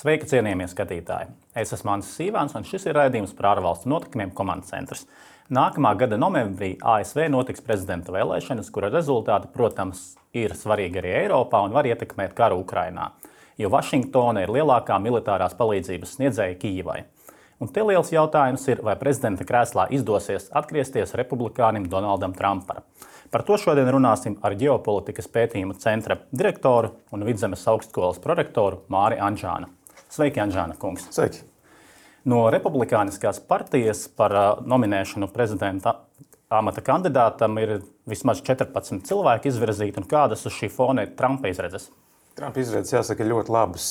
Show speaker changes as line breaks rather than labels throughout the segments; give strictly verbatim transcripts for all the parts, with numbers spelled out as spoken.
Sveiki, cienījamie skatītāji! Es esmu Mans Sīvāns, un šis ir raidījums par ārvalstu notikumiem Komandas centrs. Nākamā gada novembrī A S V notiks prezidenta vēlēšanas, kura rezultāti, protams, ir svarīgi arī Eiropā un var ietekmēt karu Ukrainā, jo Vašingtona ir lielākā militārās palīdzības sniedzēja Kijivai. Un te liels jautājums ir, vai prezidenta krēslā izdosies atgriezties republikānim Donaldam Trumpam. Par to šodien runāsim ar ģeopolitikas pētījuma centra direktoru un Vidzemes augstskolas prorektoru Māri Anžānu. Sveiki, Anžāna kungs!
Sveiki!
No republikāniskās partijas par nominēšanu prezidenta amata kandidātam ir vismaz četrpadsmit cilvēki izvirzīti, un kādas uz šī fona ir Trumpa izredzes?
Trumpa izredzes, jāsaka, ir ļoti labas.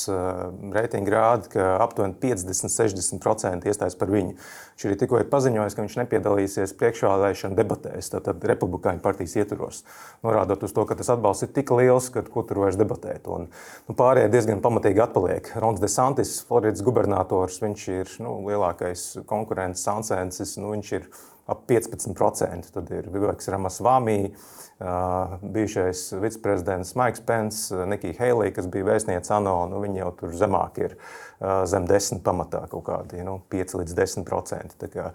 Reitingi rāda, ka aptuveni piecdesmit līdz sešdesmit procenti iestājas par viņu. Viņš arī tikko ir paziņojis, ka viņš nepiedalīsies priekšvēlēšanu debatēs, tātad republikāņu partijas ietvaros, norādot uz to, ka tas atbalsts ir tik liels, ka kur tur vairs debatēt. Un, nu, pārējie diezgan pamatīgi atpaliek. Rons DeSantis, Floridas gubernators, viņš ir nu, lielākais konkurents, Sansensis, nu, viņš ir ap piecpadsmit procenti. Tad ir Viveks Ramasvami, Uh, bijušais viceprezidents Maiks Pence, Nikija Heilija, kas bija vēstniece ANO, nu, viņi jau tur zemāk ir uh, zem desmit pamatā kaut kādi, nu, pieci līdz desmit procenti. Tā kā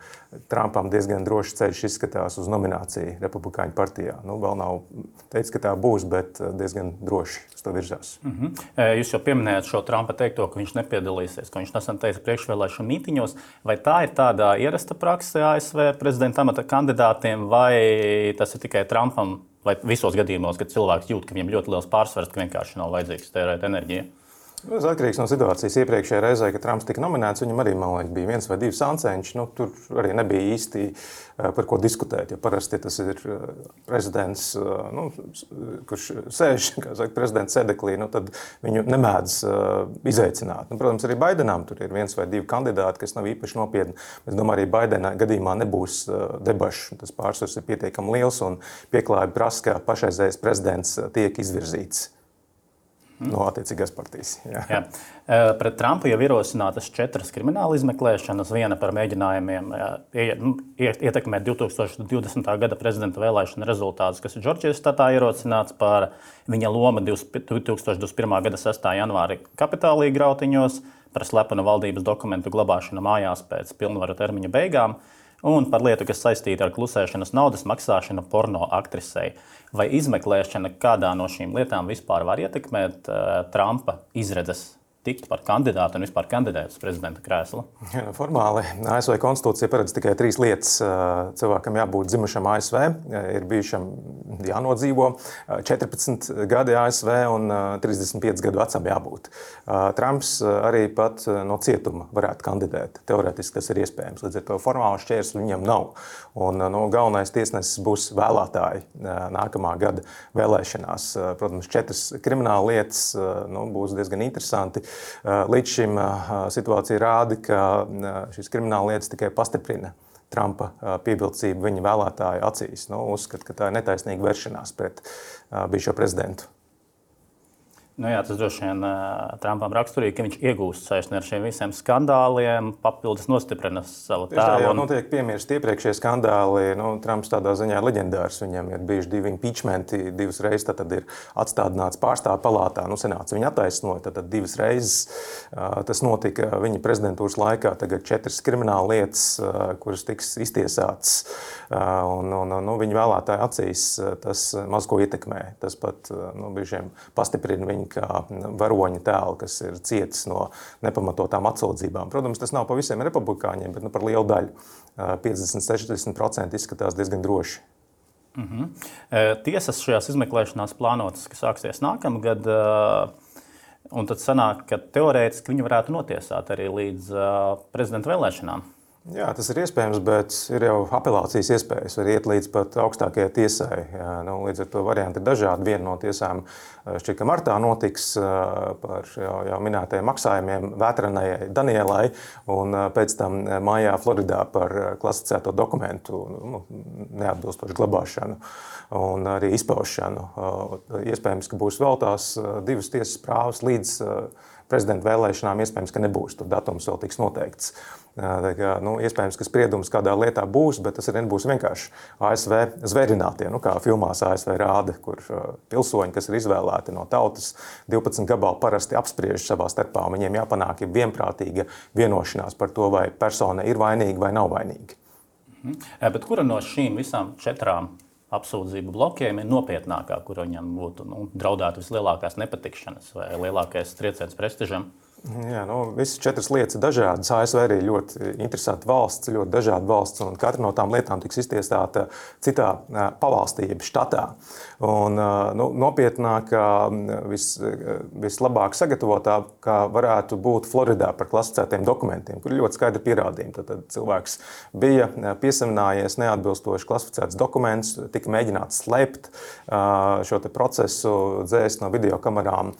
Trumpam diezgan drošs ceļš izskatās uz nomināciju republikāņu partijā. Nu, vēl nav teicis, ka tā būs, bet diezgan droši uz to virzās.
Mm-hmm. Jūs jau pieminējāt šo Trumpa teikto, ka viņš nepiedalīsies, ka viņš nesen teica priekšvēlēšanu mītiņos. Vai tā ir tāda ierasta prakse A S V prezidenta amata kandidātiem, vai tas ir tikai Trumpam? Vai visos gadījumos, kad cilvēks jūt, ka viņam ļoti liels pārsvars, ka vienkārši nav vajadzīgs tērēt enerģiju?
Tas atkarīgs no situācijas. Iepriekšējā reizē, kad Trumps tika nominēts, viņam arī, man liekas, bija viens vai divi sancenši. Nu, tur arī nebija īsti par ko diskutēt. Jo parasti tas ir prezidents, nu, kurš sēž, kā saka, prezidents sēdeklī, nu, tad viņu nemēdz izaicināt. Nu, protams, arī Baidenam tur ir viens vai divi kandidāti, kas nav īpaši nopietni. Es domāju, arī Baidena gadījumā nebūs debašu. Tas pārsvars ir pietiekami liels un pieklājīgi prasa, ka pašreizējais prezidents tiek izvirzīts no attiecīgās partijas. Jā.
Jā. Pret Trumpu jau ierosinātas četras krimināla izmeklēšanas, viena par mēģinājumiem ietekmēt divi tūkstoši divdesmitā gada prezidenta vēlēšana rezultātus, kas ir Džordžijas štatā ierosināts, par viņa loma divi tūkstoši divdesmit pirmā gada sestā janvāra Kapitālija grautiņos, par slepenu valdības dokumentu glabāšanu mājās pēc pilnvaru termiņa beigām, un par lietu, kas saistīta ar klusēšanas naudas maksāšanu porno aktrisei. Vai izmeklēšana kādā no šīm lietām vispār var ietekmēt uh, Trumpa izredzes tikt par kandidātu un vispār kandidēt uz prezidenta krēslu?
Ja, formāli A S V konstitūcija paredz tikai trīs lietas. Cilvēkam jābūt dzimušam A S V, ir bijušam jānodzīvo četrpadsmit gadi A S V un trīsdesmit pieci gadu vecam jābūt. Trumps arī pat no cietuma varētu kandidēt. Teorētiski tas ir iespējams. Līdz ar to formāli šķērsli viņam nav. Un no, galvenais tiesnesis būs vēlētāji nākamā gada vēlēšanās. Protams, četras krimināla lietas nu, būs diezgan interesanti. Līdz šim situācija rāda, ka šīs krimināla lietas tikai pastiprina Trumpa pievilcību viņa vēlētāju acīs. Nu, uzskat, ka tā ir netaisnīga vēršanās pret bijušo prezidentu.
Nu jā, tas droši vien Trumpam raksturīgi, ka viņš iegūst saikni ar šiem visiem skandāliem, papildus nostiprina savu tēlu.
Tā jau notiek piemirst iepriekšējie skandāli. Nu, Trumps tādā ziņā ir leģendārs. Viņam ir bijuši divi impeachmenti, divas reizes tad ir atstādināts pārstāvju palātā. Nu, senāts viņu attaisnoja, tad divas reizes tas notika viņa prezidentūras laikā. Tagad četras krimināla lietas, kuras tiks iztiesātas. Un, un, un viņa vēlētāju acīs tas maz ko ietekmē. Tas pat nu, brīžiem pastiprina viņu kā varoņa tēlu, kas ir cietis no nepamatotām atsūdzībām. Protams, tas nav pa visiem republikāņiem, bet nu, par lielu daļu. piecdesmit līdz sešdesmit procenti izskatās diezgan droši.
Mm-hmm. Tiesas šajās izmeklēšanās plānotas, kas sāksies nākamgad, un tad sanāk, ka teorētiski viņi varētu notiesāt arī līdz prezidenta vēlēšanām.
Jā, tas ir iespējams, bet ir jau apelācijas iespējas, var iet līdz pat augstākajai tiesai. Jā, nu, līdz ar to varianti ir dažādi. Viena no tiesām šķiet, ka martā notiks par jau, jau minētajiem maksājumiem Vētranai Danielai, un pēc tam mājā Floridā par klasificēto dokumentu nu, neatbilstošu glabāšanu un arī izpaušanu. Iespējams, ka būs vēl tās divas tiesas prāvas līdz prezidenta vēlēšanām iespējams, ka nebūs. Tur datums vēl tiks noteikts. Tā kā, nu, iespējams, ka spriedums kādā lietā būs, bet tas arī nebūs vienkārši A S V zvērinātie, nu, kā filmās A S V rāda, kur pilsoņi, kas ir izvēlēti no tautas, divpadsmit gabalu parasti apspriež savā starpā, un viņiem jāpanāk ir vienprātīga vienošanās par to, vai persona ir vainīga vai nav vainīga.
Mhm. Bet kura no šīm visām četrām apsūdzību blokiem ir nopietnākā, kur viņam būtu nu, draudētu vislielākās nepatikšanas vai lielākais trieciens prestižam?
Jā, nu, visas četras lietas ir dažādas. A S V arī ļoti interesanta valsts, ļoti dažāda valsts, un katra no tām lietām tiks iztiesāta citā pavalstī, jeb štatā. Un, nu, nopietnākā, vis, vislabāk sagatavotā, kā varētu būt Floridā par klasificētiem dokumentiem, kur ir ļoti skaidri pierādījumi. Tad, tad cilvēks bija piesaminājies neatbilstoši klasificēts dokuments, tika mēģināts slēpt šo te procesu, dzēst no videokamerām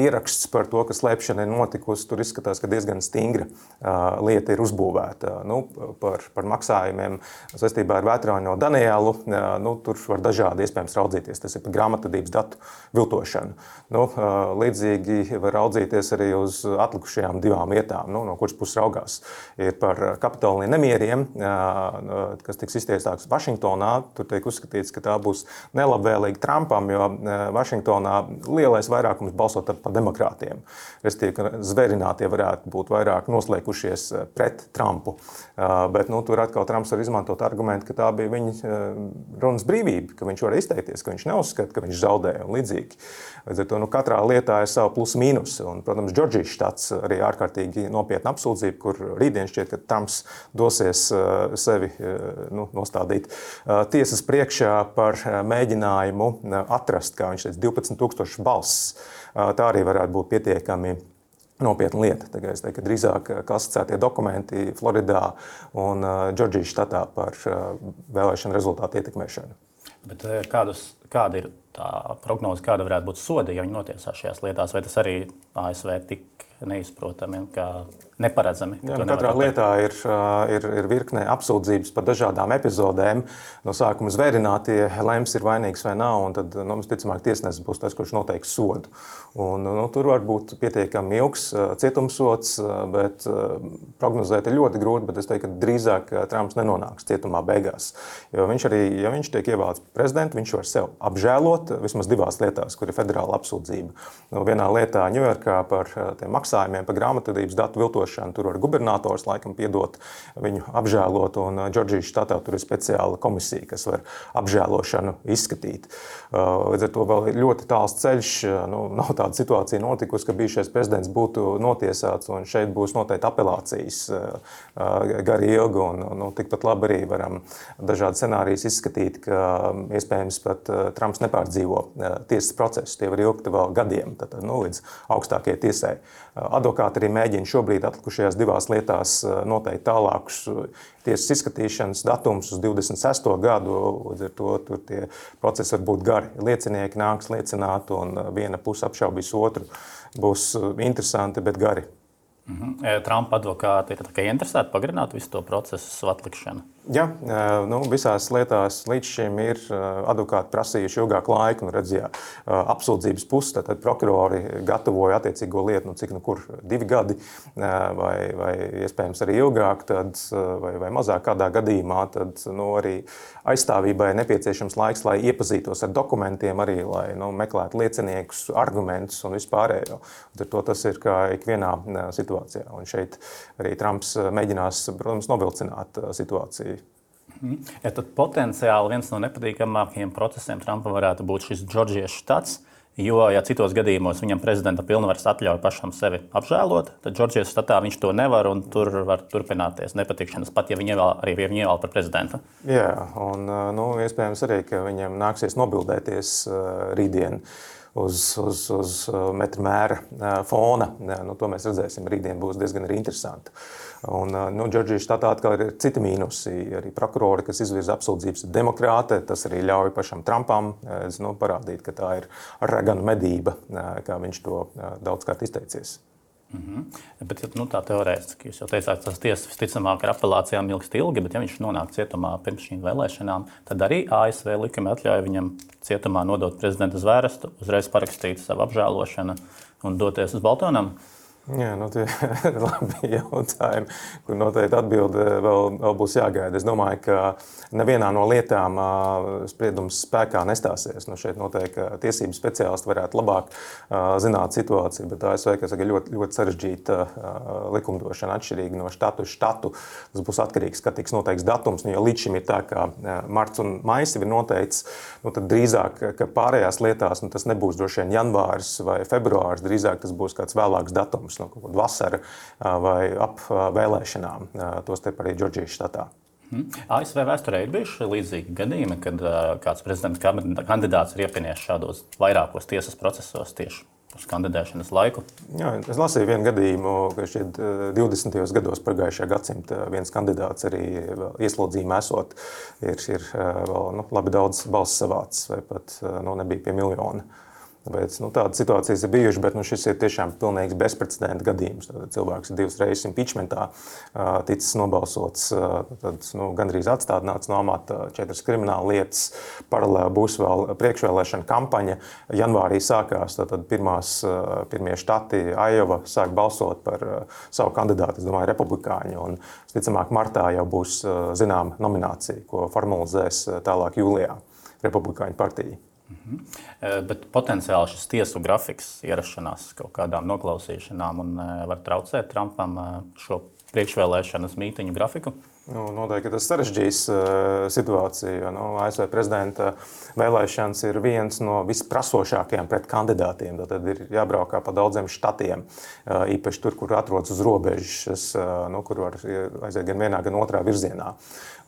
ieraksts par to, ka slēpšana ir notikusi. Tur izskatās, ka diezgan stingra uh, lieta ir uzbūvēta. Nu, par, par maksājumiem saistībā ar veterāno Danielu, uh, nu, tur var dažādi iespējams raudzīties. Tas ir par grāmatvedības datu viltošanu. Nu, uh, līdzīgi var raudzīties arī uz atlikušajām divām lietām, nu, no kuras puses raugās. Ir par Kapitolija nemieriem, uh, kas tiks iztiesāts Vašingtonā. Tur tiek uzskatīts, ka tā būs nelabvēlīga Trumpam, jo uh, Vašingtonā lielais vairākums balsot par demokrātiem. Restīvi, ka zvērinātie varētu būt vairāk noslēgušies pret Trumpu. Bet nu, tur atkal Trumps var izmantot argumentu, ka tā bija viņa runas brīvība, ka viņš var izteikties, ka viņš neuzskata, ka viņš zaudēja un līdzīgi. Līdz ar to nu, katrā lietā ir savu plus mīnus. Un, protams, Džordžijas štats arī ārkārtīgi nopietna apsūdzība, kur rītdien šķiet, ka Trumps dosies sevi nu, nostādīt tiesas priekšā par mēģinājumu atrast, kā viņš teica, divpadsmit tūkstoši balss. Tā arī varētu būt pietiekami nopietna lieta. Tagad es teiktu, ka drīzāk klasificētie dokumenti Floridā un Džordžijas štatā par vēlēšanu rezultātu ietekmēšanu.
Bet kādus, kāda ir tā prognoze, kāda varētu būt sodi, ja viņi notiesā šajās lietās, vai tas arī A S V tik neizprotami, kā neparedzami?
Jā, nu, katrā lietā ir, ir, ir virkne apsūdzības par dažādām epizodēm. No sākuma zvērinātie lems ir vainīgs vai nav, un tad, nu, visticamāk, tiesnesis būs tas, kurš noteiks sodu. Un, nu, tur var būt pietiekami ilgs cietumsods, bet prognozēt ir ļoti grūti, bet es teiktu, ka drīzāk Trumps nenonāks cietumā beigās. Jo viņš arī, ja viņš tiek ievēlēts prezidentu, viņš var sev apžēlot vismaz divās lietās, kur ir federāla apsūdzība. Nu, vienā lietā Ņujorkā par tiem maksājumiem, par grāmatvedības datu viltošanu, tur var gubernators laikam piedot viņu apžēlot, un Džordžijas štatā tur ir speciāla komisija, kas var apžēlošanu izskatīt. Līdz ar to vēl ir ļoti tāls ceļš, nu, nav tāda situācija notikusi, ka bijušais prezidents būtu notiesāts, un šeit būs noteikti apelācijas gari ilgi, un nu, tikpat labi arī varam dažādi scenārijas izskatīt, ka iespējams pat Trumps nepārdzīvo tiesas procesu. Tie var ilgt vēl gadiem, tad, nu, līdz augstākajai tiesai. Advokāti arī mēģina šobrīd atlikušajās divās lietās noteikt tālākus tiesas izskatīšanas datums uz divdesmit sesto gadu, līdz ar to tur tie procesi var būt gari. Liecinieki nāks liecināt, un viena puse apšaubīs otru. Būs interesanti, bet gari.
Mhm. Trumpa advokāti ir interesēti pagarināt visu to procesu atlikšanu?
Jā, nu, visās lietās līdz šim ir advokāti prasījuši ilgāku laiku. Nu, redz, jā, apsūdzības puses, tad prokurori gatavoja attiecīgo lietu, nu, cik nu kur divi gadi vai, vai iespējams arī ilgāk, tad, vai, vai mazāk kādā gadījumā, tad nu, arī aizstāvībai nepieciešams laiks, lai iepazītos ar dokumentiem, arī lai nu, meklētu lieciniekus, argumentus un vispārējo. Tad to tas ir kā ikvienā situācijā. Un šeit arī Trumps mēģinās, protams, novilcināt situāciju.
Ja tad potenciāli viens no nepatīkamākajiem procesiem Trumpam varētu būt šis Džordžijas štats, jo, ja citos gadījumos viņam prezidenta pilnvaras atļauj pašam sevi apžēlot, tad Džordžijas štatā viņš to nevar, un tur var turpināties nepatikšanas, pat ja viņi ievēl, arī ja viņi ievēl par prezidentu.
Jā, un nu, iespējams arī, ka viņam nāksies nobildēties rītdien uz, uz, uz metra mēra fona. Nu, to mēs redzēsim, rītdien būs diezgan arī interesanti. Un, nu, Džordžijas štatā atkal ir citi mīnusi. Arī prokurori, kas izvirza apsūdzības, ir demokrāti. Tas arī ļauj pašam Trumpam nu, parādīt, ka tā ir raganu medība, kā viņš to daudzkārt izteicies.
Mm-hmm. Bet, nu, tā teorētiski, jūs jau teicāt, tas tiesas visticamāk ar apelācijām ilgst ilgi, bet ja viņš nonāk cietumā pirms šīm vēlēšanām, tad arī A S V likumi atļauj viņam cietumā nodot prezidenta zvērestu, uzreiz parakstīt savu apžēlošanu un doties uz Baltonamu?
Jā, nu, tie ir labi jautājumi, kur noteikti atbilde vēl, vēl būs jāgaida. Es domāju, ka nevienā no lietām spriedums spēkā nestāsies. Nu, šeit noteikti tiesību speciālisti varētu labāk zināt situāciju, bet A S V ir ļoti, ļoti sarežģīta likumdošana, atšķirīga no štatu uz štatu. Tas būs atkarīgs, kad tiks noteikts datums. Nu, jo līdz šim ir tā, ka marts un maijs ir noteikts, nu, tad drīzāk, ka pārējās lietās nu, tas nebūs droši vien janvāris vai februāris, drīzāk tas būs kāds vēlāks datums. No kaut kāda vasara vai ap vēlēšanām, tostarp arī Džordžijas štatā.
A S V vēsturē ir bijuši līdzīgi gadījumi, kad kāds prezidenta kandidāts ir iepinies šādos vairākos tiesas procesos tieši uz kandidēšanas laiku.
Jā, es lasīju vienu gadījumu, ka šķiet divdesmitajos gados pagājušajā gadsimta viens kandidāts arī ieslodzījumā esot ir, ir vēl nu, labi daudz balss savācis vai pat nu, nebija pie miljona. Tāpēc, nu, tādas situācijas ir bijušas, bet nu, šis ir tiešām pilnīgs bezprecedenta gadījums. Tad cilvēks ir divas reizes impeachmentā ticis nobalsots, tad nu, gandrīz atstādināts no amata, četras krimināla lietas. Paralēli būs vēl priekšvēlēšana kampaņa. Janvārī sākās tad pirmās, pirmie štati Aiova sāk balsot par savu kandidātu, es domāju, republikāņu. Un, ticamāk, martā jau būs zināma nominācija, ko formalizēs tālāk jūlijā republikāņu partija.
Mhm. Bet potenciāli šis tiesu grafiks ierašanās kaut kādām noklausīšanām un var traucēt Trumpam šo priekšvēlēšanas mītiņu grafiku?
Nu, noteikti tas sarežģīs uh, situāciju. Nu, A S V prezidenta vēlēšanas ir viens no visprasošākajiem pret kandidātiem. Tad ir jābraukā pa daudziem štatiem, uh, īpaši tur, kur atrodas uz robežas, uh, nu, kur var aiziet gan vienā, gan otrā virzienā.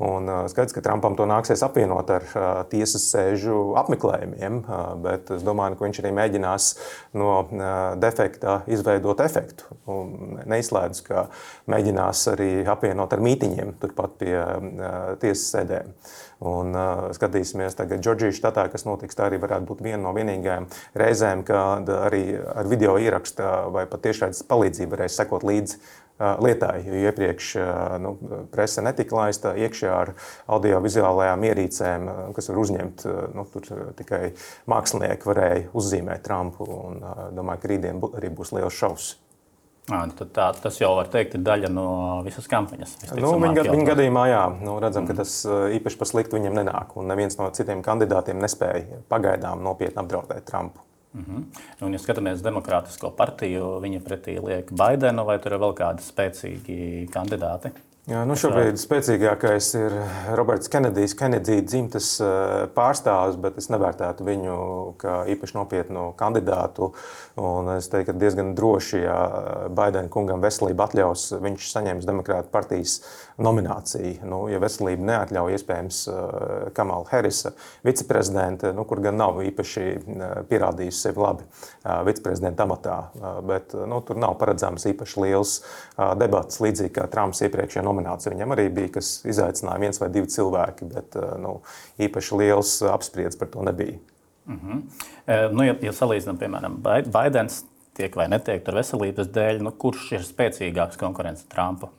Un uh, skaidrs, ka Trumpam to nāksies apvienot ar uh, tiesas sēžu apmeklējumiem, uh, bet es domāju, ka viņš arī mēģinās no uh, defekta izveidot efektu. Un neizslēdz, ka mēģinās arī apvienot ar mītiņiem turpat pie uh, tiesas sēdēm. Un uh, skatīsimies tagad Džordžijas štatā, kas notiks, tā arī varētu būt viena no vienīgajām reizēm, kad arī ar video ierakstu vai pat tiešraides palīdzību varēs sekot līdzi uh, lietai, jo iepriekš uh, nu, prese netika laista iekšā ar audiovizuālajām ierīcēm, uh, kas var uzņemt, uh, nu, tur uh, tikai mākslinieki varēja uzzīmēt Trumpu, un uh, domāju, ka rītdien bu- arī būs liels šovs.
Tad tā, tas jau var teikt ir daļa no visas kampaņas.
Nu, viņa, viņa gadījumā, jā, nu, redzam, ka tas īpaši pa sliktu viņam nenāk, un neviens no citiem kandidātiem nespēja pagaidām nopietni apdraudēt Trumpu.
Mhm. Un, ja skatāmies Demokrātisko partiju, viņi pretī liek Baidenu, vai tur ir vēl kādi spēcīgi kandidāti?
Jā, nu šobrīd spēcīgākais ir Roberts Kenedijs, Kenedija dzimtes pārstāvis, bet es nevērtētu viņu kā īpaši nopietnu kandidātu. Un es teiktu, ka diezgan droši, ja Baidena kungam veselība atļaus, viņš saņems Demokrātu partijas nomināciju. Nu, ja veselība neatļauj, iespējams, Kamala Harrisa viceprezidente, nu, kur gan nav īpaši pierādījusi sevi labi viceprezidenta amatā. Bet nu, tur nav paredzams īpaši liels debats, līdzīgi kā Trumps iepriekšējā nominācija. Viņam arī bija, kas izaicināja viens vai divi cilvēki, bet nu, īpaši liels apspriedz par to nebija.
Mhm. Nu, ja, ja salīdzinām, piemēram, Baidens tiek vai netiek tur veselības dēļ, nu, kurš ir spēcīgāks konkurence Trumpu?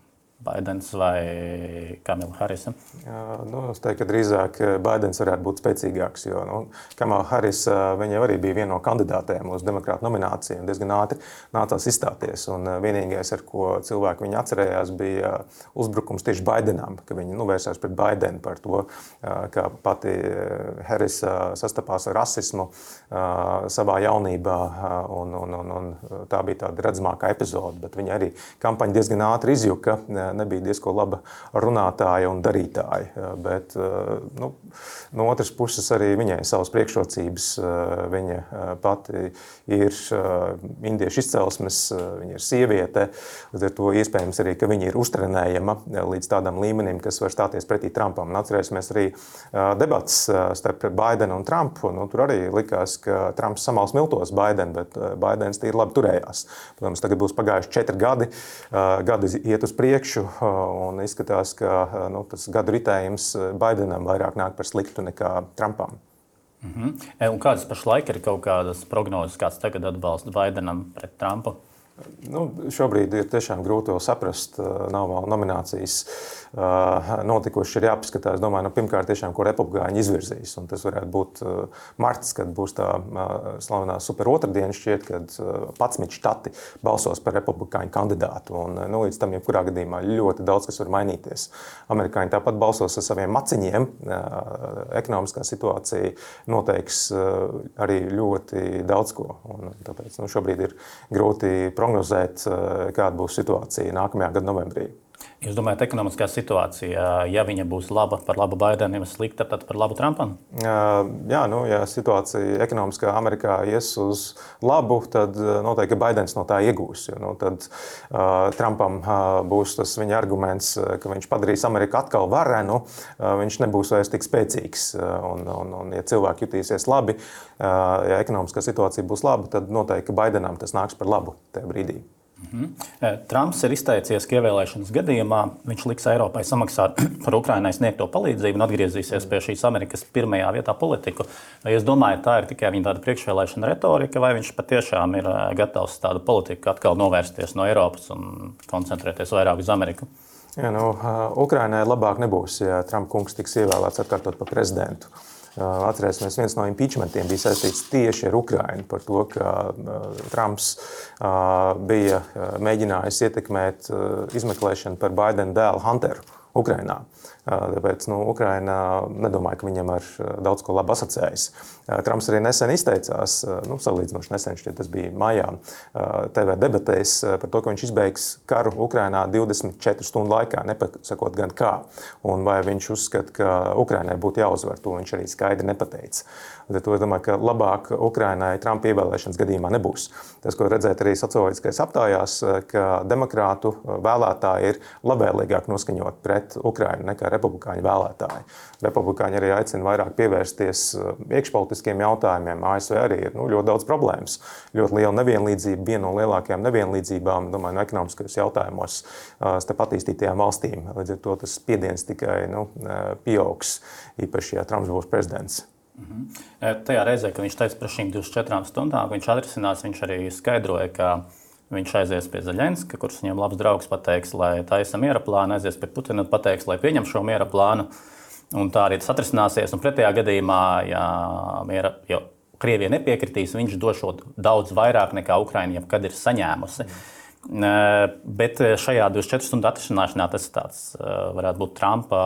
Baidens vai Kamala Harrisa?
Jā, nu, es teiktu, ka drīzāk Baidens varētu būt spēcīgāks, jo nu, Kamala Harrisa viņa arī bija viena no kandidātēm uz demokrātu nomināciju un diezgan ātri nācās izstāties. Un vienīgais, ar ko cilvēki viņu atcerējās, bija uzbrukums tieši Baidenam, ka viņi nu, vērsās pret Baidenu par to, ka pati Harrisa sastapās ar rasismu savā jaunībā, un, un, un, un tā bija tāda redzamākā epizode, bet viņa arī kampaņa diezgan ātri izjuka. Nebija diezko laba runātāja un darītāja, bet nu, no otras puses arī viņai savas priekšrocības. Viņa pati ir indiešu izcelsmes, viņa ir sieviete, līdz ar to iespējams arī, ka viņa ir uztrenējama līdz tādam līmenim, kas var stāties pretī Trumpam. Un atcerēsimies arī debats starp Baidenu un Trumpu. Nu, tur arī likās, ka Trumps samals miltos Baidenu, bet Baidens tīri labi turējās. Protams, tagad būs pagājuši četri gadi, gadi iet uz priekšu, un izskatās, ka nu, tas gadu ritējums Baidenam vairāk nāk par sliktu nekā Trumpam.
Mhm. Un kādas pašlaik ir kaut kādas prognozes, kāds tagad atbalsta Baidenam pret Trumpu?
Nu, šobrīd ir tiešām grūti to saprast. Nav vēl nominācijas notikušas, ir jāpaskatās. Domāju, nu, pirmkārt, tiešām, ko republikāņi izvirzīs. Un tas varētu būt marts, kad būs tā slavenā super otrdiena, šķiet, kad padsmit štati balsos par republikāņu kandidātu. Un, nu, līdz tam, jebkurā gadījumā, ļoti daudz kas var mainīties. Amerikāņi tāpat balsos ar saviem maciņiem. Ekonomiskā situācija noteiks arī ļoti daudz ko. Un tāpēc nu, šobrīd ir grūti prognozēt, kāda būs situācija nākamajā gada novembrī.
Jūs domājat, ekonomiskā situācija, ja viņa būs laba par labu Baidenam, slikta, tad par labu Trumpam?
Jā, nu, ja situācija ekonomiskā Amerikā ies uz labu, tad noteikti Baidens no tā iegūs. Jo, nu, tad uh, Trumpam uh, būs tas viņa arguments, ka viņš padarīs Ameriku atkal varenu, uh, viņš nebūs vairs tik spēcīgs. Un, un, un, ja cilvēki jutīsies labi, uh, ja ekonomiskā situācija būs laba, tad noteikti Baidenam tas nāks par labu tajā brīdī.
Mm-hmm. Trumps ir izteicies, ka ievēlēšanas gadījumā viņš liks Eiropai samaksāt par Ukrainai sniegto palīdzību un atgriezīsies pie šīs Amerikas pirmajā vietā politiku. Vai jūs domājat, tā ir tikai viņa tāda priekšvēlēšana retorika, vai viņš patiešām ir gatavs tādu politiku atkal novērsties no Eiropas un koncentrēties vairāk uz Ameriku?
Ja, nu, Ukrainai labāk nebūs, ja Trump kungs tiks ievēlēts atkārtot par prezidentu. Atcerēsimies, viens no impeachmentiem bija saistīts tieši ar Ukrainu par to, ka Trumps bija mēģinājis ietekmēt izmeklēšanu par Baidena dēlu Hunteru Ukrainā. Tāpēc nu, Ukraina nedomāja, ka viņam ar daudz ko labu asociējas. Trumps arī nesen izteicās, nu, salīdzinoši nesen, šķiet, tas bija maijā, T V debatēs par to, ka viņš izbeigs karu Ukrainā divdesmit četru stundu laikā, nepasakot gan kā. Un vai viņš uzskata, ka Ukrainai būtu jāuzvar, to viņš arī skaidri nepateica. To es domāju, ka labāk Ukrainai Trumpa ievēlēšanas gadījumā nebūs. Tas, ko redzēt arī socioloģiskais aptājās, ka demokrātu vēlētāji ir labvēlīgāk noskaņot pret Ukrainu nekā republikāņu vēlētāji. Republikāņi arī aicina vairāk pievērsties iekšpolitiskiem jautājumiem. A S V arī ir nu, ļoti daudz problēmas. Ļoti liela nevienlīdzība, viena no lielākajām nevienlīdzībām, domāju, no ekonomiskajos jautājumos starp attīstītajām valstīm. Līdz ar to tas spiediens tikai nu, pieaugs, īpaši, ja Trumps būs prezidents.
Mhm. Tajā reizē, kad viņš teica par šīm divdesmit četrām stundām, viņš atrisinās, viņš arī skaidroja, ka viņš aizies pie Zeļenska, kurš viņam labs draugs pateiks, lai taisa miera plānu, aizies pie Putina un pateiks, lai pieņem šo miera plānu. Un tā arī tas atrisināsies. Un pretējā gadījumā, ja miera, jo Krievija nepiekritīs, viņš došot daudz vairāk nekā Ukraina jebkad ir saņēmusi. Bet šajā divdesmit četru stundu atrisināšanā tas tāds, varētu būt Trumpa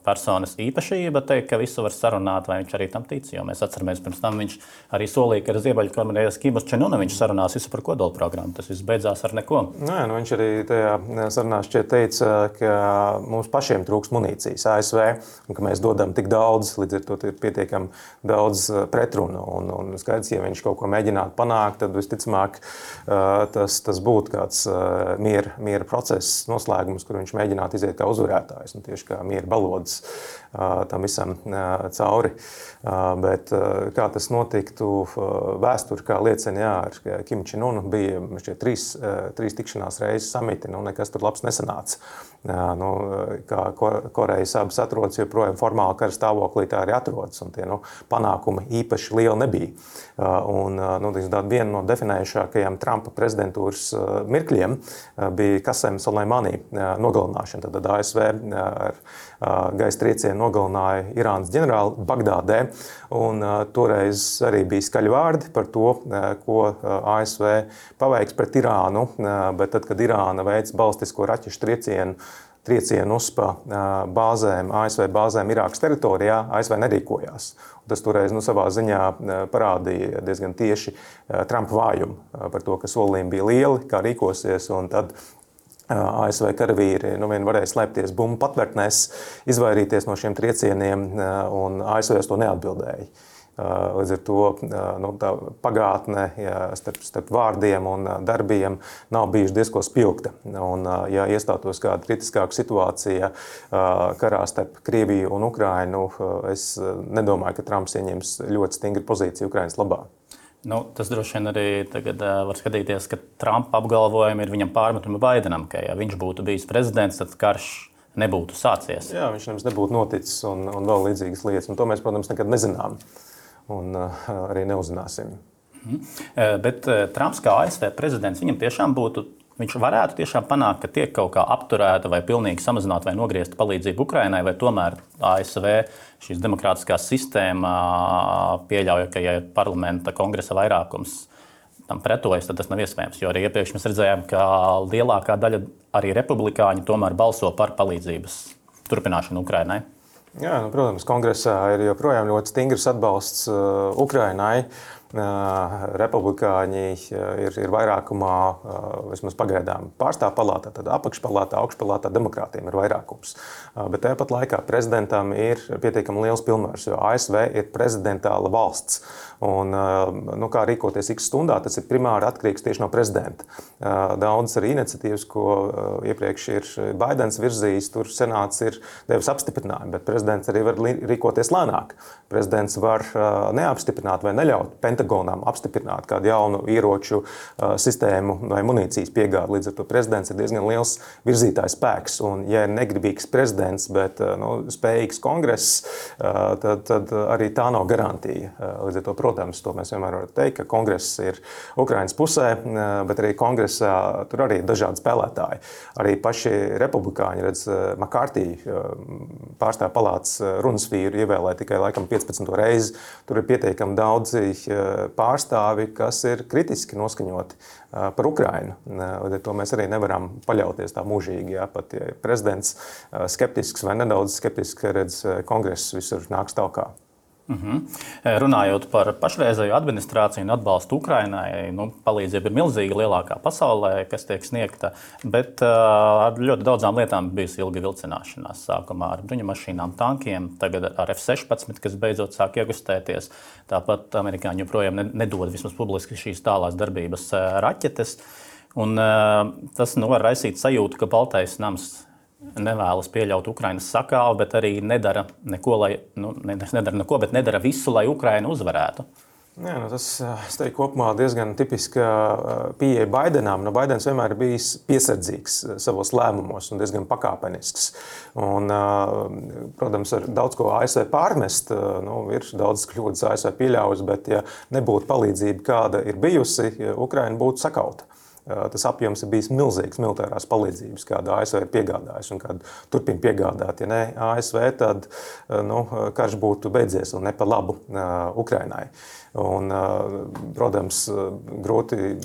personas īpašība, teikt, ka visu var sarunāt, vai viņš arī tam tic. Jo mēs atceramies, pirms tam viņš arī solīja, ka ar Ziemeļkorejas Kimus Čenunu viņš sarunās visu par kodola programmu. Tas viss beidzās ar neko.
Nē, nu viņš arī tajā sarunā šķiet teica, ka mums pašiem trūks munīcijas A S V, un ka mēs dodam tik daudz, līdz ar to ir pietiekami daudz pretrunu. Un, un skaidrs, ja viņš kaut ko mēģinātu panākt, tad visticamāk tas, tas būtu kāds miera, miera process noslēgums, kur viņš mēģinātu iziet kā uzvarētājs, un tieši kā miera balodas tam visam cauri. Bet kā tas notiktu, vēsturi kā liecina, jā, ar Kimu Čenunu bija šķiet trīs, trīs tikšanās reizes samiti, nu nekas tur labs nesanāca. Nu, kā Korejas abas atrodas, joprojām formāli kara stāvoklī tā arī atrodas, un tie nu, panākumi īpaši lieli nebija. Un, nu, viena no definējušākajām Trumpa prezidentūras mirkļiem bija Kasem Soleimani nogalināšana. Tad A S V ar gaisa triecienu nogalināja Irānas ģenerāli Bagdādē, un toreiz arī bija skaļi vārdi par to, ko A S V paveiks pret Irānu, bet tad, kad Irāna veic balistisko raķešu triecienu, triecienu uz pa bāzēm, A S V bāzēm Irākas teritorijā, A S V nerīkojās. Un tas toreiz nu, savā ziņā parādīja diezgan tieši Trumpa vājumu par to, ka solījumi bija lieli, kā rīkosies, un tad A S V karavīri nu, vien varēja slēpties bumbu patvērtnēs, izvairīties no šiem triecieniem, un A S V to neatbildēja. Līdz ar to nu, tā pagātne jā, starp, starp vārdiem un darbiem nav bijuši diezko spilgta. Un, ja iestātos kāda kritiskāka situācija karā starp Krieviju un Ukrainu, es nedomāju, ka Trumps ieņems ļoti stingru pozīciju Ukrainas labā.
Nu, tas droši vien arī tagad uh, var skatīties, ka Trumpa apgalvojumi ir viņam pārmetumi Baidenam, ka ja viņš būtu bijis prezidents, tad karš nebūtu sācies.
Jā, viņš nemaz nebūtu noticis un, un vēl līdzīgas lietas. Un to mēs, protams, nekad nezinām un uh, arī neuzzināsim.
Mm-hmm. Bet Trumps kā A S V prezidents, viņam tiešām būtu, viņš varētu tiešām panākt, ka tiek kaut kā apturēta vai pilnīgi samazināta vai nogriezta palīdzība Ukrainai, vai tomēr A S V šīs demokrātiskā sistēma pieļauj, ka ja parlamenta kongresa vairākums tam pretojas, tad tas nav iespējams. Jo arī iepriekš mēs redzējām, ka lielākā daļa arī republikāņi tomēr balso par palīdzības turpināšanu Ukrainai.
Jā, nu, protams, kongresā ir joprojām ļoti stingrs atbalsts uh, Ukrainai. Uh, republikāņi ir, ir vairākumā, uh, vismaz pagaidām, pārstāvju palātā, tad apakšpalātā, augšpalātā demokrātiem ir vairākums. Uh, bet tāpat laikā prezidentam ir pietiekami liels pilnvars, jo A S V ir prezidentāla valsts. Un, nu, kā rīkoties X stundā, tas ir primāri atkarīgs tieši no prezidenta. Daudzas arī iniciatīvas, ko iepriekš ir Baidens virzījis, tur senāts ir devis apstiprinājumu, bet prezidents arī var rīkoties lēnāk. Prezidents var neapstiprināt vai neļaut Pentagonam apstiprināt kādu jaunu ieroču sistēmu vai munīcijas piegādi. Līdz ar to prezidents ir diezgan liels virzītājs spēks. Un, ja ir negribīgs prezidents, bet nu, spējīgs kongress, tad, tad arī tā nav garantija. Līdz ar to, protams, to mēs vienmēr varam teikt, ka kongress ir Ukrainas pusē, bet arī kongresā tur arī ir dažādi spēlētāji. Arī paši republikāņi, redz, McCarthy pārstāvju palātas runas vīru ievēlēja tikai laikam piecpadsmito reizi. Tur ir pietiekami daudzi pārstāvi, kas ir kritiski noskaņoti par Ukrainu. Līdz ar to mēs arī nevaram paļauties tā mūžīgi. Jā, pat ja prezidents skeptisks vai nedaudz skeptisks, redz, kongress visur nāks talkā.
Mhm. Runājot par pašreizējo administrāciju un atbalstu Ukrainai, nu, palīdzība ir milzīga, lielākā pasaulē, kas tiek sniegta, bet uh, ar ļoti daudzām lietām bijusi ilga vilcināšanās. Sākumā ar bruņumašīnām, tankiem, tagad ar F sešpadsmit, kas beidzot sāk iegustēties. Tāpat amerikāņi joprojām nedod vismaz publiski šīs tālās darbības uh, raķetes. Un, uh, tas nu, var raisīt sajūtu, ka Baltais nams nevēlas pieļaut Ukrainas sakāvi, bet arī nedara neko, lai, nu, nedara neko, bet nedara visu, lai Ukraina uzvarētu.
Jā, nu tas, es teiktu, kopumā diezgan tipiska pieeja Baidenam. Nu, Baidens vienmēr ir bijis piesardzīgs savos lēmumos un diezgan pakāpenisks. Un, protams, ar daudz ko A S V pārmest, nu, ir daudz kļūdas A S V pieļaujas, bet ja nebūtu palīdzība, kāda ir bijusi, Ukraina būtu sakauta. Tas apjoms ir bijis milzīgs militārās palīdzības, kādu A S V ir piegādājis un kādu turpina piegādāt. Ja ne A S V, tad nu, karš būtu beidzies un ne pa labu Ukrainai. Un, protams, grūti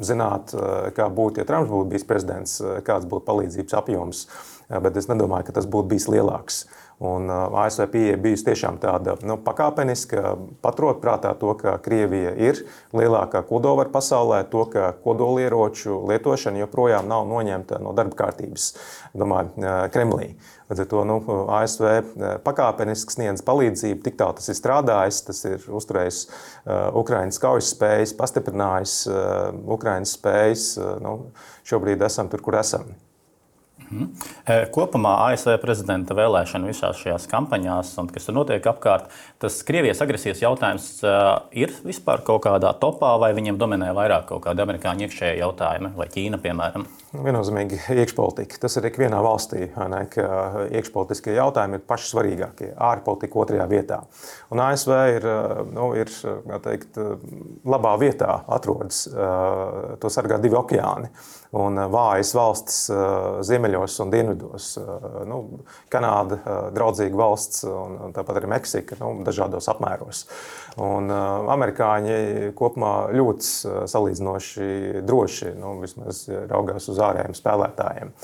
zināt, kā būtu, ja Trumps būtu bijis prezidents, kāds būtu palīdzības apjoms, bet es nedomāju, ka tas būtu bijis lielāks. Un A S V pieeja bijusi tiešām tāda nu, pakāpeniska, paturot prātā to, ka Krievija ir lielākā kodolvara pasaulē, to, ka kodolieroču lietošana joprojām nav noņemta no darba kārtības, domāju, Kremlī. Līdz ar to nu, A S V pakāpeniski sniedz palīdzību, tik tālu tas ir strādājis, tas ir uzturējis Ukrainas kaujas spējas, pastiprinājis Ukrainas spējas. Nu, šobrīd esam tur, kur esam.
Kopumā A S V prezidenta vēlēšana visās šajās kampaņās, un kas tur notiek apkārt, tas Krievijas agresijas jautājums ir vispār kaut kādā topā, vai viņiem dominē vairāk kaut kādi amerikāņu iekšējie jautājumi, vai Ķīna, piemēram?
Viennozīmīgi iekšpolitika. Tas ir ikvienā valstī, ne, ka iekšpolitiskie jautājumi ir paši svarīgākie, ārpolitika otrajā vietā. Un A S V ir, nu, ir kā teikt, labā vietā atrodas, to sargā divi okeāni. Un vājas valstis ziemeļos un dienvidos. Nu, Kanāda draudzīga valsts un tāpat arī Meksika, nu, dažādos apmēros. Un amerikāņi kopumā ļoti salīdzinoši droši, nu, vismaz raugās uz ārējiem spēlētājiem,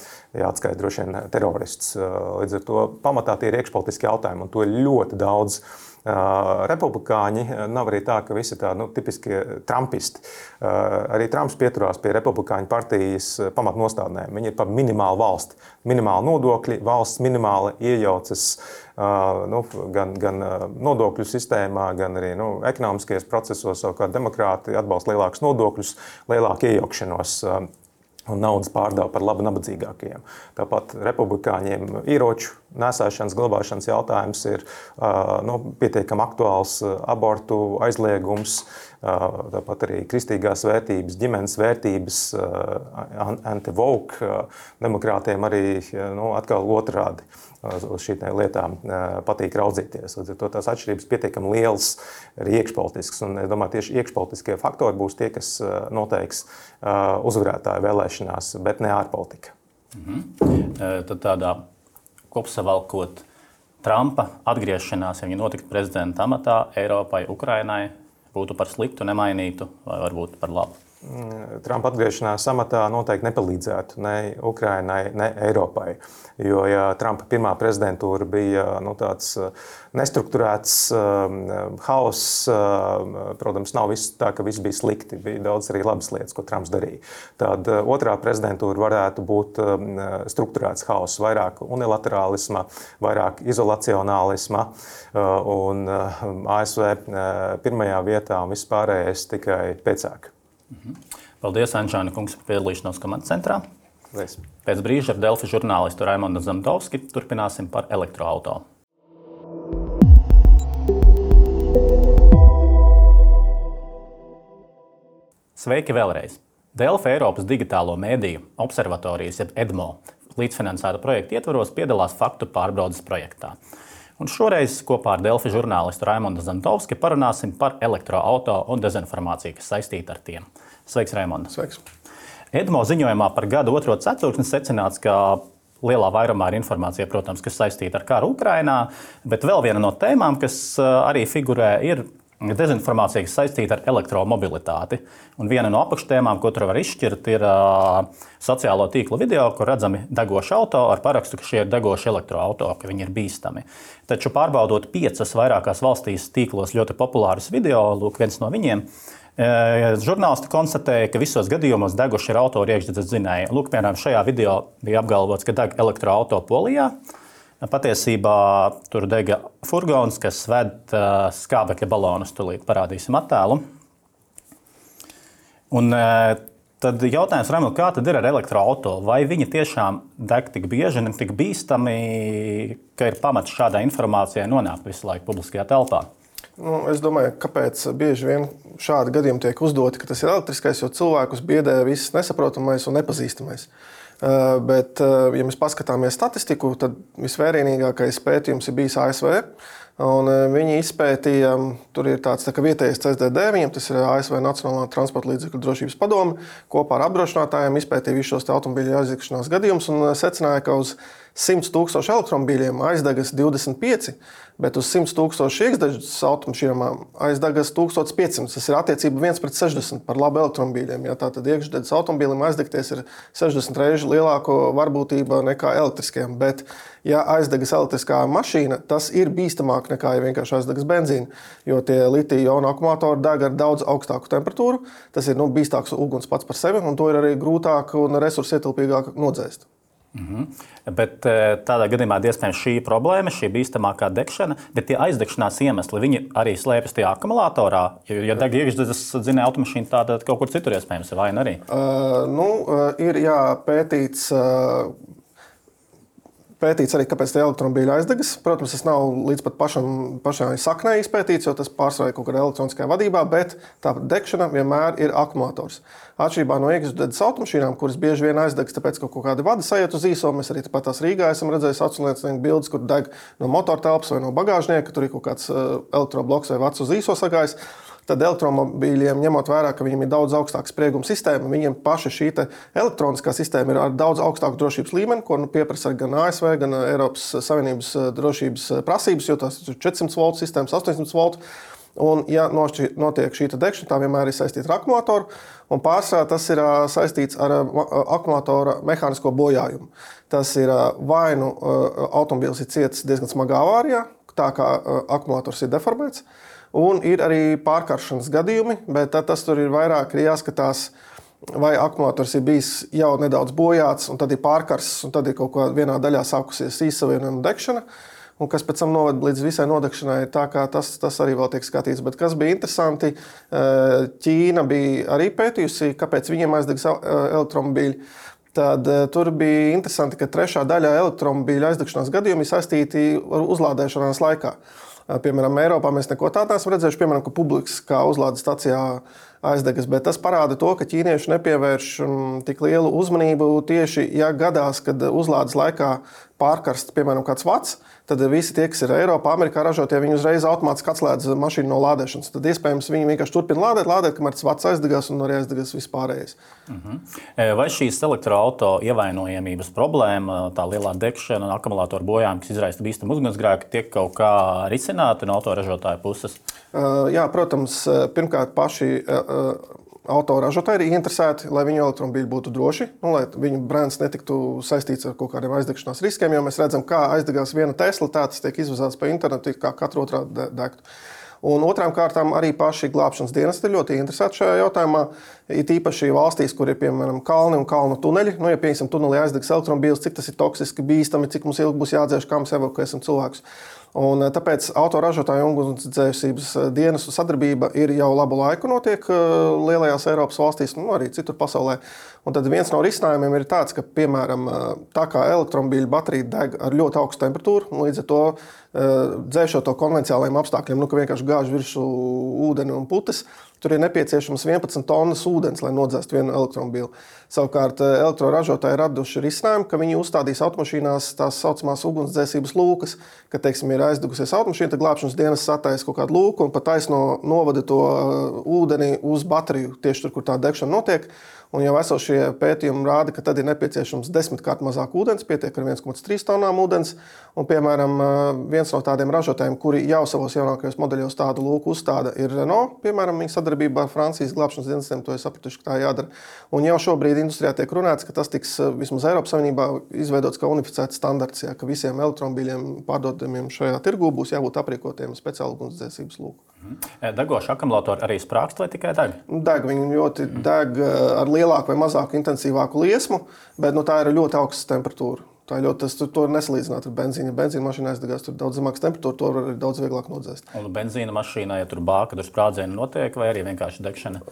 jāatskaita droši vien terorists. Līdz ar to pamatā tie ir iekšpolitiski jautājumi, un to ir ļoti daudz. Republikāņi nav arī tā, ka visi ir tādi nu, tipiskie trumpisti. Arī Trumps pieturās pie republikāņu partijas pamatnostādnēm. Viņi ir par minimālu valsti. Minimāli nodokļi, valsts minimāli iejaucas nu, gan, gan nodokļu sistēmā, gan arī nu, ekonomiskajos procesos. Savukārt demokrāti atbalsta lielākus nodokļus, lielāku iejaukšanos un naudas pārdevu par labu nabadzīgākajiem. Tāpat republikāņiem ieroču nesēšanas, glabāšanas jautājums ir nu, pietiekami aktuāls, abortu aizliegums, tāpat arī kristīgās vērtības, ģimenes vērtības, anti-woke, demokrātiem arī nu, atkal otrādi uz šīm lietām patīk raudzīties. Līdz ar to tās atšķirības pietiekami lielas arī iekšpolitiskas. Un es domāju, tieši iekšpolitiskie faktori būs tie, kas noteiks uzvarētāju vēlēšanās, bet ne ārpolitika.
Mhm. Tad tādā kopsavalkot Trumpa atgriešanās, ja viņa notiktu prezidenta amatā Eiropai, Ukrainai, būtu par sliktu, nemainītu vai varbūt par labu?
Trumpa atgriešanās amatā noteikti nepalīdzētu ne Ukrainai, ne Eiropai. Jo, ja Trumpa pirmā prezidentūra bija nu, tāds nestrukturēts um, hauss, um, protams, nav viss tā, ka viss bija slikti. Bija daudz arī labas lietas, ko Trumps darīja. Tad uh, otrā prezidentūra varētu būt um, strukturēts hauss, vairāk unilaterālisma, vairāk izolacionālisma uh, un uh, A S V uh, pirmajā vietā un viss pārējais tikai pēcāk.
Paldies, Anžāna kungs, par piedalīšanos komandas centrā.
Paldies.
Pēc brīža ar Delfi žurnālistu Raimondu Zemdovski turpināsim par elektroauto. Sveiki vēlreiz! Delfi Eiropas digitālo mēdīju observatorijas, jeb EDMO, līdzfinansēta projekta ietvaros piedalās faktu pārbaudes projektā. Un šoreiz kopā ar Delfi žurnālistu Raimondu Zemdovski parunāsim par elektroauto un dezinformāciju, kas saistīta ar tiem. Sveiks, Raimonda!
Sveiks!
EDMO ziņojumā par gada otro ceturksni secināts, ka lielā vairumā ir informācija, protams, kas saistīta ar karu Ukrainā, bet vēl viena no tēmām, kas arī figurē, ir dezinformācija, kas saistīta ar elektromobilitāti. Un viena no apakštēmām, ko tur var izšķirt, ir uh, sociālo tīklu video, kur redzami degoši auto ar parakstu, ka šie ir degoši elektroauto, ka viņi ir bīstami. Taču pārbaudot piecas vairākās valstīs tīklos ļoti populārus video, lūk, viens no viņiem, uh, žurnālisti konstatēja, ka visos gadījumos deguši ir auto iekšdedzes dzinēji. Lūk, piemēram, šajā video bija apgalvots, ka deg elektroauto Polijā. Patiesībā tur dega furgons, kas ved uh, skābekļa balonus. Tūlīt parādīsim attēlu. Un, uh, tad jautājums, Ramil, kā tad ir ar elektroauto? Vai viņi tiešām deg tik bieži un tik bīstami, ka ir pamats šādai informācijai nonākt visu laiku publiskajā telpā?
Nu, es domāju, kāpēc bieži vien šādi gadījumi tiek uzdoti, ka tas ir elektriskais, jo cilvēkus biedē viss nesaprotamais un nepazīstamais. Uh, bet, uh, ja mēs paskatāmies statistiku, tad visvērienīgākais pētījums ir bijis A S V. Un, uh, viņi izpētīja, tur ir tāds tā kā vietējais C S D D, viņam tas ir A S V Nacionālā transporta līdzekļu drošības padome, kopā ar apdrošinātājiem izpētīja visus šos automobīļu aizdegšanās gadījumus un secināja, ka uz simts tūkstoši elektromobīļiem aizdegas divdesmit pieci, bet uz simts tūkstoši iekšdedzes automašīnām aizdegas tūkstoš piecsimt. Tas ir attiecība viens pret sešdesmit par labu elektromobīļiem. Ja, tātad iekšdedzes automobīlim aizdegties ir sešdesmit reižu lielāka varbūtība nekā elektriskajam. Bet, ja aizdegas elektriskā mašīna, tas ir bīstamāk nekā, ja vienkārši aizdegas benzīna, jo tie litija-ionu akumulatori deg ar daudz augstāku temperatūru. Tas ir nu, bīstāks uguns pats par sevi, un to ir arī grūtāk un resursietilpīgāk nodzēst.
Mhm. Bet tādā gadījumā iespējams šī problēma, šī bīstamākā degšana, bet tie aizdegšanās iemesli, viņi arī slēpjas tajā akumulatorā. Ja deg iekšdedzes dzinēja automašīna, tāda kaut kur citur iespējams ir vai ne arī?
Uh, nu, uh, ir jā, pētīts, uh, pētīts arī, kāpēc tie elektromobīļi aizdegas. Protams, tas nav līdz pat pašam, pašai saknē izpētīts, jo tas pārsvarā kaut kādā elektroniskajā vadībā, bet tā degšana vienmēr ir akumulators. Atšķirībā no iekšdedzes automašīnām, kuras bieži vien aizdegs, tāpēc, ka kaut kādi vadi sajiet uz īso, mēs arī tāpat tās Rīgā esam redzējuši aculiecinieku bildes, kur deg no motortelpas vai no bagāžnieka, tur ir kaut kāds elektrobloks vai vads uz īso sagājis. Tad elektromobīļiem, ņemot vērā, ka viņiem ir daudz augstāka sprieguma sistēma, viņiem paša šī elektroniskā sistēma ir ar daudz augstāku drošības līmeni, ko nu, pieprasa gan A S V, gan Eiropas Savienības drošības prasības, jo tās ir četrsimt voltu sistēmas, astoņsimt voltu. Un, ja notiek šī degšana, tā vienmēr ir saistīta ar akumulatoru, un pārsvarā tas ir saistīts ar akumulatora mehānisko bojājumu. Tas ir vai nu automobīls ir cietis diezgan smagā avārijā, tā kā akumulators ir deformēts, un ir arī pārkaršanas gadījumi, bet tas tur ir vairāk ir jāskatās, vai akumulators ir bijis jau nedaudz bojāts, un tad ir pārkarsts, un tad ir kaut kā vienā daļā sākusies īsavienojuma degšana, un kas pēc tam noved līdz visai nodegšanai, tā kā tas, tas arī vēl tiek skatīts. Bet kas bija interesanti, Ķīna bija arī pētījusi, kāpēc viņiem aizdegs elektromobīļi. Tad tur bija interesanti, ka trešā daļa elektromobīļu aizdegšanās gadījumi ir saistīti ar uzlādēšanās laikā. Piemēram, Eiropā mēs neko tādu neesam redzējuši, piemēram, ka publiskā uzlādes stacijā aizdegas, bet tas parāda to, ka ķīnieši nepievērš tik lielu uzmanību tieši, ja gadās, kad uzlādes laikā pārkarst, piemēram, kāds vats, tad visi tie, kas ir Eiropā, Amerikā ražotie, viņi uzreiz automātiski atslēdz mašīnu no lādēšanas. Tad iespējams viņi vienkārši turpina lādēt, lādēt, kamēr tas vats aizdegās un arī aizdegās vispārējais.
Uh-huh. Vai šīs elektroauto ievainojamības problēma, tā lielā degšana un akumulātoru bojājumi, kas izraisa bīstamu ugunsgrēku, tiek kaut kā risināti no autoražotāju puses?
Uh, jā, protams, pirmkārt paši uh, autoražotāji ir ieinteresēti, lai viņu elektromobīļi būtu droši, un lai viņu brands netiktu saistīts ar kaut kādiem aizdegšanās riskiem, jo mēs redzam, kā aizdegās viena Tesla, tā tas tiek izvazāts pa internetu, kā katru otrā degtu. Un otrām kārtām arī paši glābšanas dienesti ir ļoti interesēti šajā jautājumā, it īpaši valstīs, kur ir, piemēram, kalni un kalnu tuneļi. Nu, ja, piemēram, tunelī aizdegs elektromobīls, cik tas ir toksiski, bīstami, cik mums ilgi būs jādzēš, kā mēs evakuēsim cilvēkus. Un tāpēc autoražotāju un ugunsdzēsības dienestu sadarbība ir jau labu laiku notiek lielajās Eiropas valstīs, nu arī citur pasaulē. Un tad viens no risinājumiem ir tāds, ka, piemēram, tā kā elektromobīļa baterija deg ar ļoti augstu temperatūru, un līdz ar to dzēšot to konvenciālajiem apstākļiem, nu, ka vienkārši gāž virsū ūdeni un putas, tur ir nepieciešams vienpadsmit tonnas ūdens, lai nodzēstu vienu elektromobīlu. Savukārt elektroražotāji raduši risinājumu, ka viņi uzstādīs automašīnās tās saucamās ugunsdzēsības lūkas, ka, teiksim, ir aizdegusies automašīna, tad glābšanas dienas sataisa kaut kādu lūku un pa taisno novada to ūdeni uz bateriju, tieši tur, kur tā degšana notiek. Un jau esošie pētījumi rāda, ka tad ir nepieciešams desmitkārt mazāk ūdens, pietiek ar viens komats trīs tonnām ūdens. Un, piemēram, viens no tādiem ražotājiem, kuri jau savos jaunākajos modeļos tādu lūku uzstāda, ir Renault. Piemēram, viņa sadarbībā ar Francijas glābšanas dienestiem, to es sapratuši, ka tā jādara. Un jau šobrīd industrijā tiek runāts, ka tas tiks vismaz Eiropas Savienībā izveidots kā unificēts standarts, jā, ka visiem elektromobīļiem pārdodamiem šajā tirgū būs jābūt aprīkotiem speciālu ugunsdzēsības lūku.
Degoši akumulātori arī sprākst vai tikai deg?
Deg, viņi ļoti deg ar lielāku vai mazāku intensīvāku liesmu, bet nu, tā ir ļoti augsta temperatūra. Tā ir ļoti, tas, to nesalīdzināt ar benzīnu. Ja benzīna mašīna aizdegās, tur ir daudz zemāks temperatūra, to var arī daudz vieglāk nodzēst.
Un benzīna mašīnā, ja tur bāka, tur sprādzieni notiek, vai arī vienkārši degšana?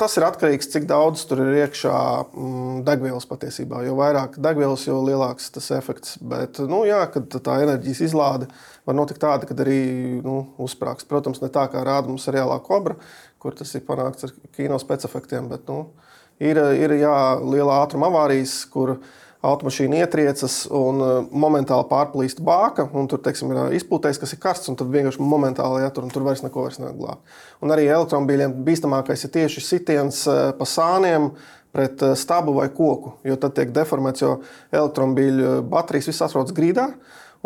Tas ir atkarīgs, cik daudz tur ir iekšā mm, degvielas patiesībā. Jo vairāk degvielas, jo lielāks tas efekts. Bet, nu jā, kad tā enerģijas izlāde var notikt tāda, kad arī nu, uzsprāks. Protams, ne tā kā rāda mums seriālā Kobra, kur tas ir panākts ar kino specefektiem, bet nu, ir, ir jā, liela ātruma avārijas, kur automašīna ietriecas un momentāli pārplīst bāka, un tur, teiksim, ir izpūtējs, kas ir karsts, un tad vienkārši momentāli jātur, un tur vairs neko vairs neglāb. Un arī elektromobīļiem bīstamākais ir tieši sitiens pa sāniem pret stabu vai koku, jo tad tiek deformēts, jo elektromobīļu baterijas viss atrodas grīdā,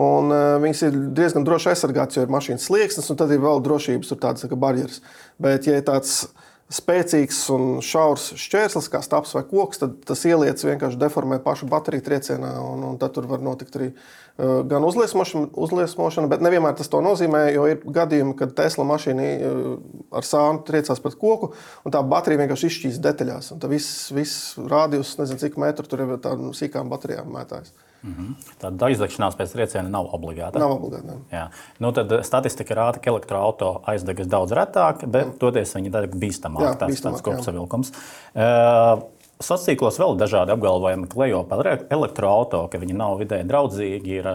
un viņas ir diezgan droši aizsargāts, jo ir mašīnas slieksnes, un tad ir vēl drošības tur tādas kā barjeras. Bet, ja ir tāds spēcīgs un šaurs šķērslis, kā stabs vai koks, tad tas ieliec vienkārši deformē pašu bateriju triecienā, un, un tad tur var notikt arī uh, gan uzliesmošana, uzliesmošana, bet nevienmēr tas to nozīmē, jo ir gadījumi, kad Tesla mašīna uh, ar sānu triecās pret koku, un tā baterija vienkārši izšķīs detaļās, un tā viss, viss rādījus, nezinu cik metru, tur ir tādām sīkām baterijām mētājas.
Mm-hmm. Tāda aizdegšanās pēc trieciena nav obligāta.
Nav obligāta.
Jā. Nu, tad statistika rāda, ka elektroauto aizdegas daudz retāk, bet toties viņi deg bīstamāk.
Jā,
tāds,
bīstamāk,
tāds kopsavilkums. Uh, Sociālos vēl dažādi apgalvojumi klejo par elektroauto, ka viņi nav vidēji draudzīgi, ir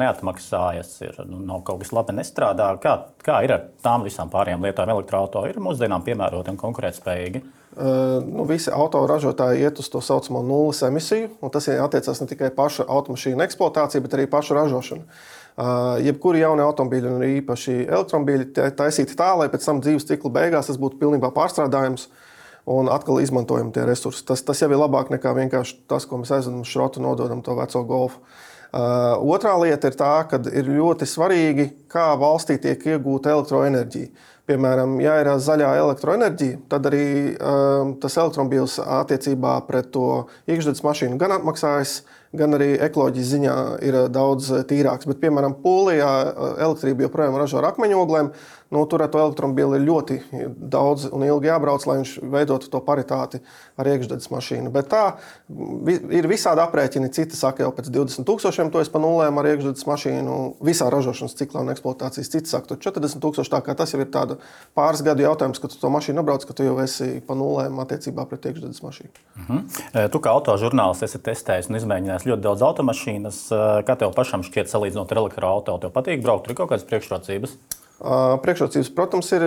neatmaksājas, ir, nu, nav kaut kas labi nestrādā. Kā, kā ir ar tām visām pārējām lietām? Elektroauto ir mūsdienām piemēroti un konkurētspējīgi?
Uh, nu, visi autoražotāji iet uz to saucamo nulles emisiju, un tas attiecās ne tikai paša automašīna eksploatācija, bet arī paša ražošana. Uh, jebkuri jauni automobīļi un īpaši elektromobīļi taisīti tā, lai pēc tam dzīves cikla beigās tas būtu pilnībā pārstrādājums un atkal izmantojam tie resursi. Tas, tas jau ir labāk nekā vienkārši tas, ko mēs aizvedam šrotu, nododam to veco golfu. Uh, otrā lieta ir tā, ka ir ļoti svarīgi, kā valstī tiek iegūta elektroenerģija. Piemēram, ja ir zaļā elektroenerģija, tad arī um, tas elektromobīls attiecībā pret to iekšzemes mašīnu gan atmaksājas, gan arī ekoloģijas ziņā ir daudz tīrāks. Bet, piemēram, Polijā elektrība joprojām ražo ar akmeņoglēm. Nu, tur ar to elektromobīli ir ļoti daudz un ilgi jābrauc, lai viņš veidotu to paritāti ar iekšzemes mašīnu. Bet tā ir visādi aprēķini. Citi saka, jau pēc divdesmit tūkstošiem to es pa nulēm ar iekšzemes mašīnu visā ražošanas ciklā un eksploatācijas. Citi saka, tur četrdesmit tūkstoši, tā kā tas jau ir tāda pāris gadu jautājums, ka tu to mašīnu nobrauc, ka tu jau esi pa nulēm attiecībā pret iekšzemes mašīnu.
Uh-huh. Tu kā autožurnālists esi testējis un izmēģinājis ļoti daudz automašīnas. Kā tev pašam šķiet salīdzinot ar elektroauto? Tev patīk braukt? Tur ir kaut kādas priekšrocības?
Priekšrocības, protams, ir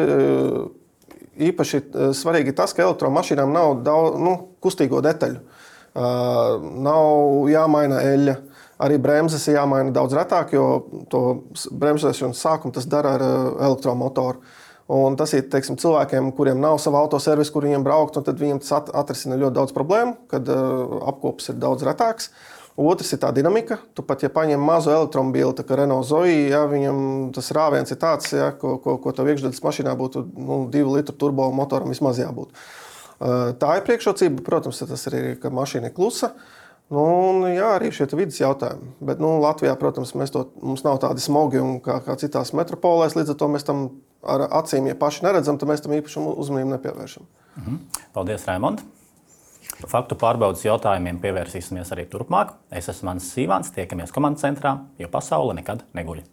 īpaši svarīgi tas, ka elektromašīnām nav daudz nu, kustīgo detaļu. Nav jāmaina eļļa. Arī bremzes ir jāmaina daudz retāk, jo to bremzēšanas sākumu tas dara ar elektromotoru. Un tas ir teiksim, cilvēkiem, kuriem nav sava autoservisa, kur viņiem braukt, un tad viņiem tas atrisina ļoti daudz problēmu, kad apkops ir daudz retāks. Otrs ir tā dinamika. Tu pat, ja paņem mazu elektromobīli, tā kā Renault Zoe, ja, viņam tas rāviens ir tāds, ja, ko, ko, ko tev iekšdedzes mašīnā būtu nu, divu litru turbo motoram vismaz jābūt. Tā ir priekšrocība. Protams, tas arī ir, ka mašīna ir klusa. Nu, un, jā, arī šie vidas jautājumi. Bet nu, Latvijā, protams, mēs to, mums nav tādi smogi un kā, kā citās metropolēs, līdz ar to mēs tam ar acīm, ja paši neredzam, tad mēs tam īpaši uzmanību nepievēršam.
Mhm. Paldies, Raimond! Faktu pārbaudas jautājumiem pievērsīsimies arī turpmāk. Es esmu Mans Sīvāns, tiekamies komandas centrā, jo pasaule nekad neguļ.